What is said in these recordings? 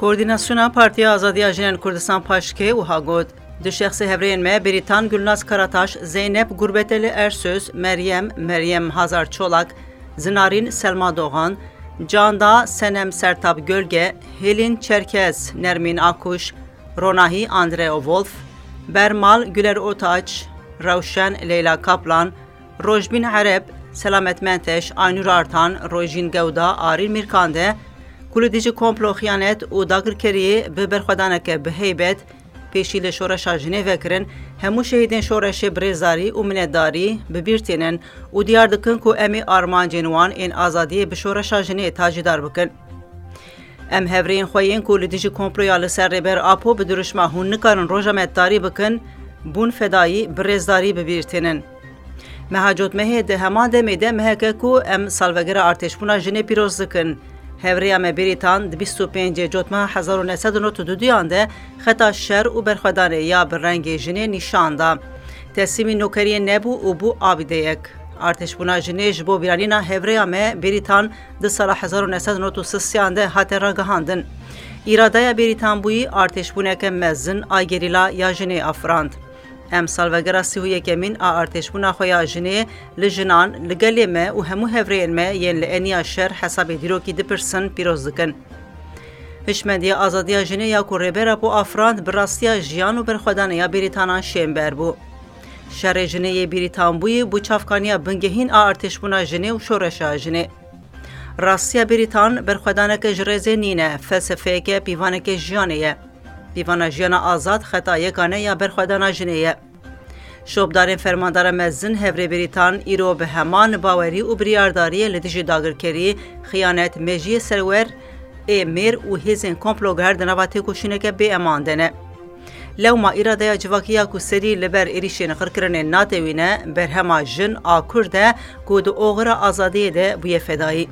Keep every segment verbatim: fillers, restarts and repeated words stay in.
Koordînasyona Partiya Azadiya Jinên Kurdistan, PAJKê, wiha got, du şexsê hevrêyên me Bêrîtan Gulnaz Karataş, Zeynep Gurbeteli Ersöz, Meryem, Meryem Hazar Çolak, Zinarîn Selma Doğan, Canda Senem Sertab Gölge, Hêlîn Çerkez Nermîn Akuş, Ronahî Andreo Wolf, Bermal Güler Otaç, Rewşen Leyla Kaplan, Rojbîn Ereb, Selamet Menteş, Aynur Artan, Rojîn Gewda, Arîn Mîrkande, ku li dijî komplo, xiyanet û dagirkeriyê bi berxwedaneke bi heybet pêşî li şoreşa jinê vekirin, hemû şehîdên şoreşê bi rêzdarî û minetdarî bi bîr tînin û diyar dikin ku em ê armancên wan ên azadiyê bi şoreşa jinê tacîdar bikin. Em hevrêyên xwe yên ku li dijî komploya li ser Rêber Apo bi dirûşma hûn nikarin roja me tarî bikin, bûn fedayî bi rêzdarî bi bîr tînin. Meha Cotmehê di heman demê de meheke ku em salvegera artêşbûna jinê pîroz dikin. Hevrêya me Bêrîtan di bîst û pêncê Cotmeha hezar û neh sed û nod û duduyan de xeta şer û berxwedanê ya bi rengê jinê nîşan da. Teslîmî nokeriyê nebû û bû abîdeyek. Artêşbûna jinê ji bo bîranîna hevrêya me Bêrîtan di sala hezar û neh sed û nod û sisiyan de hate ragihandin. Îradeya Bêrîtanbûyî artêşbûneke mezin a gerîla ya jinê afirand. Em salvegera sî û yekemîn a artêşbûna xwe ya jinê li jinan, li gelê me û hemû hevrêyên me yên li eniya şer hesabê dîrokî dipirsin, pîroz dikin. Hişmendiya azadiya jinê ya ku Rêber Apo afirand bi rastiya jiyan û berxwedanê ya Bêrîtanan şênber bû. Şerê jinê yê Bêrîtanbûyî bû çavkaniya bingehîn a artêşbûna jinê û şoreşa jinê. Rastiya Bêrîtan berxwedaneke ji rêzê nîne, felsefeyeke pîvaneke jiyanê ye. Pîvana jiyana azad xeta yekane ya berxwedana jinê ye. Şopdarên Fermandara Mezin Hevrê Bêrîtan îro bi heman bawerî û biryardariyê li dijî dagirkerî, xiyanet, mejiyê serwer ê mêr û hêzên komploger di nava têkoşîneke bêeman de ne. Lewma îradeya civakî ya ku serî li ber êrîşên qirkirinê natewîne, berhema jin a Kurd e ku di oxira azadiyê de bûye fedayî.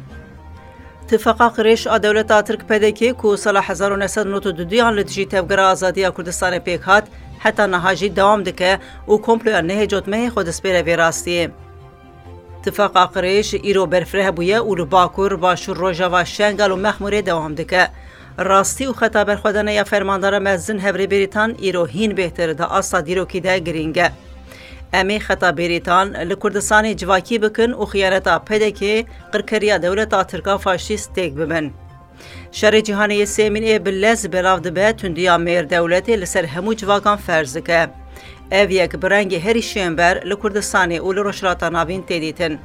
Tifaqa Qirêj a dewleta Tirk, P D K, ku sala hezar û neh sed û nod û duduyan li dijî Tevgera Azadiya Kurdistanê pêk hat, heta niha jî dewam dike û komploya nehê Cotmehê xwe dispêre vê rastiyê. Tifaqa Qirêj îro berfireh bûye û li Bakur, Başûr, Rojava, Şengal û Mexmûrê dewam dike. Rastî û xeta berxwedana ya Fermandara Mezin Hevrê Bêrîtan îro hîn bêhtir di asta dîrokî de girîng e. Em ê xeta Bêrîtan li Kurdistanê civakî bikin û xiyaneta P D K, qirkeriya dewleta Tirk a faşîst têk bibin. Şerê Cîhanê yê Sêmîn ê bi lez belav dibe, tundiya mêr dewletê li ser hemû civakan ferz dike. Ev yek bi rengê herî şênber li Kurdistanê û li Rojhilata Navîn tê dîtin.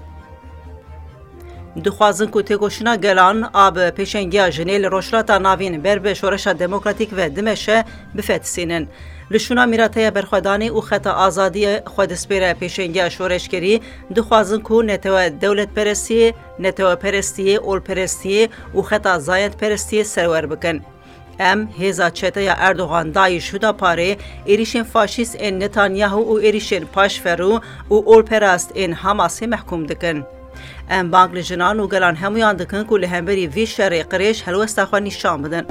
Dixwazin ku têkoşîna gelan a bi pêşengiya jinê li Rojhilata Navîn ber bi şoreşa demokratîk ve dimeşe, bifetisînin. Li şûna mîrateya berxwedanê û xeta azadiyê xwe dispêre pêşengiya şoreşgerî, dixwazin ku netewe dewletperestiyê, neteweperestiyê, olperestiyê û xeta zayendperestiyê serwer bikin. Em hêza çeteya Erdogan, DAIŞ, Hudaparê, êrîşên faşîst ên Netanyahu û êrîşên paşverû û olperast ên Hamasê mehkûm dikin. Em bang li jinan û gelan hemûyan dikin ku li hemberî vî şerê qirêj helwesta xwe nîşan bidin.